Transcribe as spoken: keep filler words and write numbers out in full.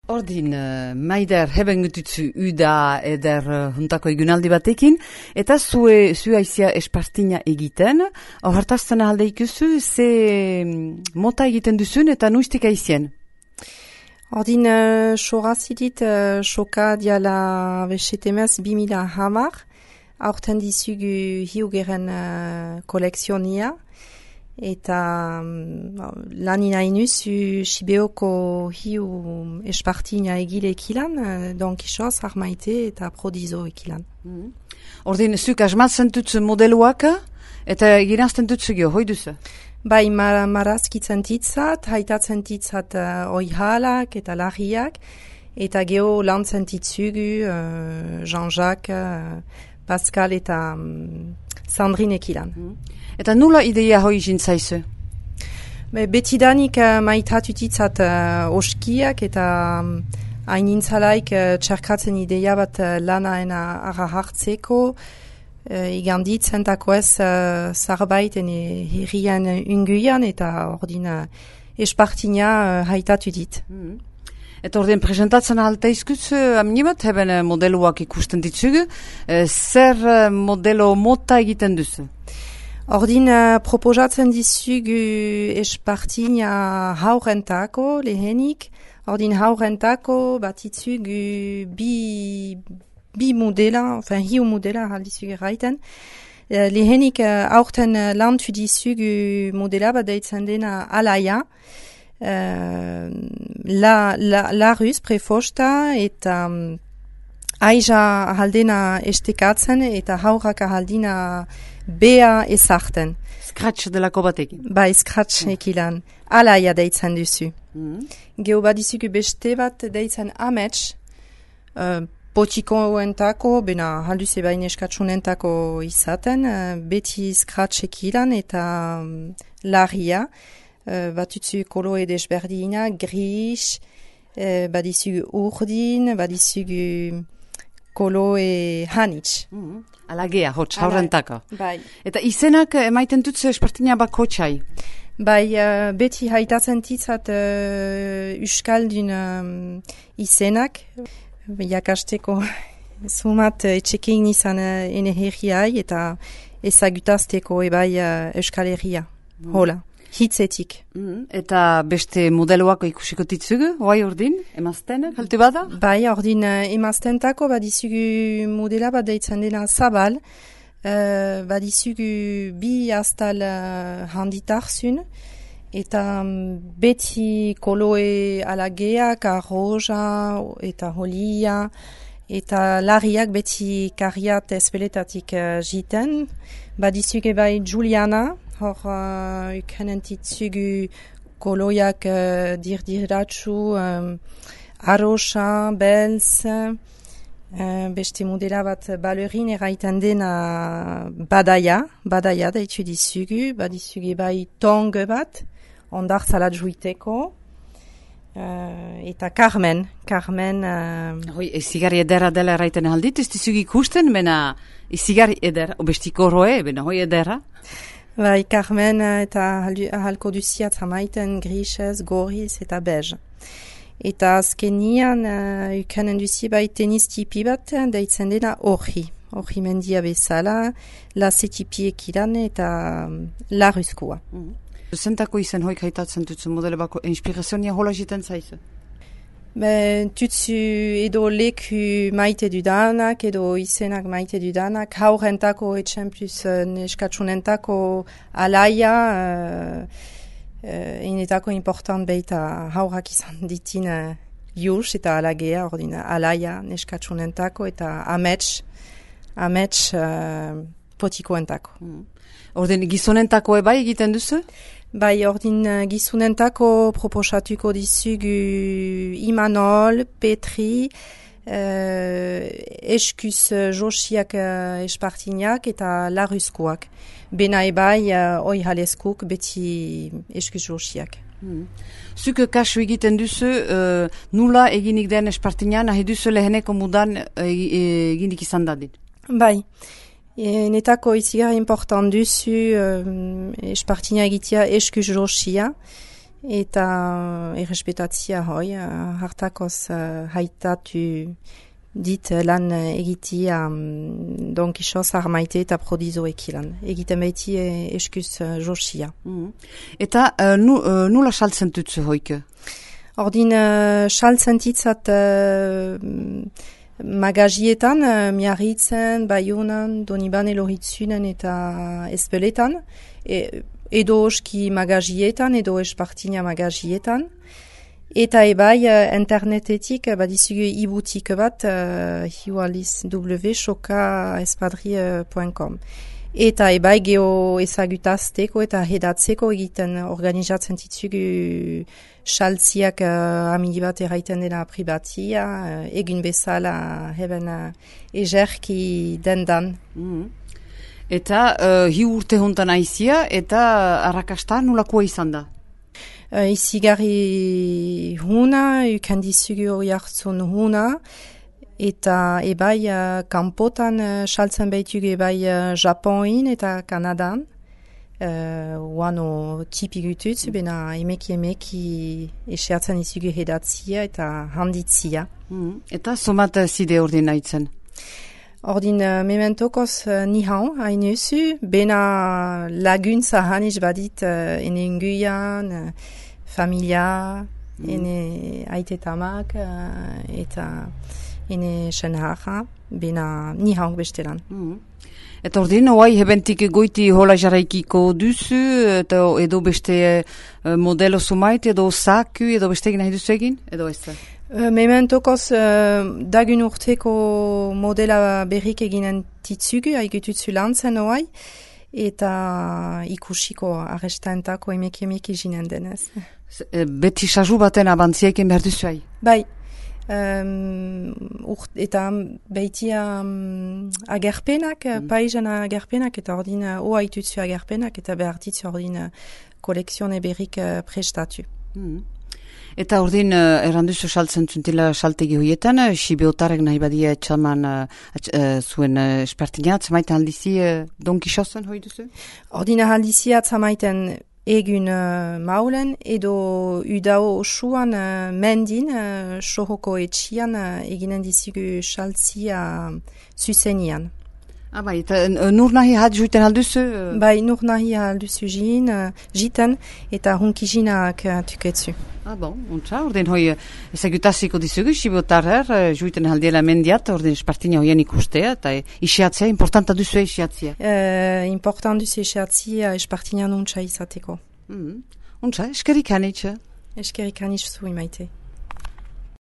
Ordin, uh, Maider, heben gutitzu uda eder uh, juntako egunaldi batekin, eta zue, zue aizia espartina egiten, hortazten alde ikusu, ze mota egiten duzun eta nuistik aizien? Ordin, uh, sorazidit, uh, soka diala besetemez bimila hamar, aurten dizugu hiugeren uh, kolekzionia, eta um, lan inainuzu Sibeoko hiu espartina egile ekilan, uh, Don Quixoz, Armaite eta Prodizo ekilan. Mm. Ordin, zuk asmatzen dutzu modeluak, eta girazten dutzu gio, hoi duzu? Bai, mar marazkitzen titzat, haitatzen titzat uh, oihalak eta larriak, eta geho lantzen titzugu uh, Jean-Jacques, uh, Pascal eta um, Sandrine ekilan. Mm. Eta nula ideia hoi jintzaizu? Be, betidanik uh, maitatu titzat uh, oskiak eta um, hain uh, txerkatzen ideia bat uh, lanaena ara hartzeko, uh, iganditzen tako ez uh, zarbaiten e, herrian unguian eta ordin uh, espartina uh, haitatu dit. Mm. Eta ordin presentatzen ahalta izkutz, aminibat, heben modeluak ikusten ditzugu, uh, zer uh, modelo mota egiten duzu? Ordin uh, proposatzen dizugu espartina haurentako lehenik. Ordin haurentako batitzugu bi, bi modela, enfin hiu modela haldizugu erraiten. Uh, lehenik uh, aurten uh, lantu dizugu modela bat deitzen dena alaia. Uh, la, la, la ruz prefosta eta um, aiza haldena estekatzen eta haurrak haldina bea ezarten. Scratch delako batekin. Bai, scratch mm. ekilan. Alaia deitzen duzu. Mm. Geo badizugu beste bat deitzen amets, uh, potikoentako, bena halduze bain eskatsunentako izaten, uh, beti scratch ekilan eta um, larria, uh, batutzu koloe desberdina, gris, uh, badizugu urdin, badizugu koloe hanitz. Mm. Alagea, hotz, haurentaka. Bai. Eta izenak emaiten dutze espartina bako txai? Bai, uh, beti haitatzen titzat uh, Euskaldun um, izenak. Jakasteko sumat etxekin izan uh, ene herriai eta ezagutazteko ebai uh, Euskal Herria. Mm. Hola, hitzetik. Mm. Eta beste modeloak ikusiko ditzugu, hoai ordin, emazten, kaltu bada? Bai, ordin uh, emaztentako badizugu modela bat deitzen dena zabal, uh, badizugu bi astal uh, handitarzun, eta um, beti koloe alageak, arroja eta holia, eta larriak beti karriat espeletatik uh, jiten, badizugu bai Juliana, hor uh, ukenen titzugu koloiak uh, dirdiratsu, um, arroxa, belz, uh, beste modela bat balerin eraiten dena badaia, badaia daitu dizugu, badizugu bai tong bat, ondartzalat juiteko, uh, eta Carmen, Carmen... Uh, Hoi, izigarri edera dela eraiten aldit, ez dizugu ikusten, bena izigarri edera, obestiko roe, bena hoi edera? Bai, Carmen eta halko duziat hamaiten grisez, goriz eta bez. Eta azkenian uh, ukanen duzi bai tenis tipi bat deitzen dena orhi. Orhi mendia bezala, lase tipi ekilan eta um, larruzkoa. Mm. Zentako izen hoik haitatzen dutzu modele bako inspirazionia hola jiten zaizu? Ben, tutsu edo leku maite dudanak, edo izenak maite dudanak, haurentako etxen plus uh, neskatsunentako alaia, uh, uh, inetako important beita haurak izan ditin uh, jus eta alagea, ordina alaia neskatsunentako eta amets, amets uh, potikoentako. Mm. Ordin gizonentako eba egiten duzu? Bai, ordin uh, gizunentako proposatuko dizugu Imanol, Petri, uh, eskuz uh, josiak uh, espartinak eta larruzkoak. Bena ebai uh, oi haleskuk beti eskuz josiak. Hmm. Zuk kasu egiten duzu, uh, nula eginik den espartinan, nahi duzu leheneko mudan uh, eginik izan dadin? Bai. E, netako izigar important duzu um, espartina egitea eskuz josia eta errespetatzia hoi, uh, hartakoz uh, haitatu dit lan egitia um, Don Quixote armaite eta prodizoek lan. Egiten baiti e, eskuz uh, josia. Mm. Eta uh, nu, uh, nula saltzen tutzu hoike? Ordin uh, saltzen titzat uh, magazietan, uh, miarritzen, Baionan, Donibane Loritzunen eta Espeletan, e, edo oski magazietan, edo espartina magazietan. Eta ebai uh, internetetik uh, badizugu ibutik bat uh, hiualiz w soka espadri punto com. Eta ebai geho ezagutazteko eta hedatzeko egiten organizatzen titzugu saltziak uh, amigi bat erraiten dela pribatia, uh, egun bezala heben uh, ejerki dendan. Mm. Eta uh, hi urte hontan aizia eta arrakasta nolakoa izan da? Uh, izigarri huna, ukandizugu hori hartzun huna, eta ebai uh, kanpotan uh, saltzen behitugu ebai uh, Japonin eta Kanadan. Uh, Uano tipik ututz, mm. bena emeki emeki esertzen izugu hedatzia eta handitzia. Mm. Eta somat zide ordin haitzen? Ordin uh, mementokoz uh, nihan hainuzu, bena laguntza haniz badit uh, ene inguian, uh, familia, mm. ene aitetamak uh, eta ene senharra, bena nihan bestelan. Mm. Eta ordin, oai hebentik goiti hola jarraikiko duzu, eta edo beste uh, modelo sumait, edo saku, edo beste egin nahi duzu egin, edo ez? Uh, mementokoz uh, dagun urteko modela berrik eginen titzugu, haigututzu lantzen oai, eta ikusiko arrestaentako emeki emeki jinen denez. Beti sasu baten abantziaiken behar duzu hai? Bai. Um, urt, eta behitia um, agerpenak, mm. paisan agerpenak, eta ordin uh, oa itutzu agerpenak, eta behar ditzu ordin uh, koleksione berrik uh, prestatu. Mm. Eta ordin uh, erranduzu saltzen zuntila saltegi hoietan, uh, Sibiotarek nahi badia txaman uh, uh, zuen uh, espertina, atzamaiten aldizi uh, Don Quixoten hoi duzu? Ordin aldizi atzamaiten egun uh, maulen, edo udao osuan uh, mendin, uh, sohoko etxian uh, eginen dizugu saltzia uh, zuzenian. Ah, bai, eta uh, nur nahi hat juiten alduzu? Uh... Bai, nur nahi alduzu jin, uh, jiten, eta hunkijinak uh, tuketzu. Ah, bon, ontsa, ordin hoi ezagutaziko dizugu, Sibiotarer, uh, juiten aldiela mendiat, ordin espartina hoien ikustea, eta isiatzea, importanta duzu isiatzea? Uh, important duzu isiatzea, espartina nontsa izateko. Mm-hmm. Ontsa, eskerik hanitza? Eskerik hanitza zu imaite.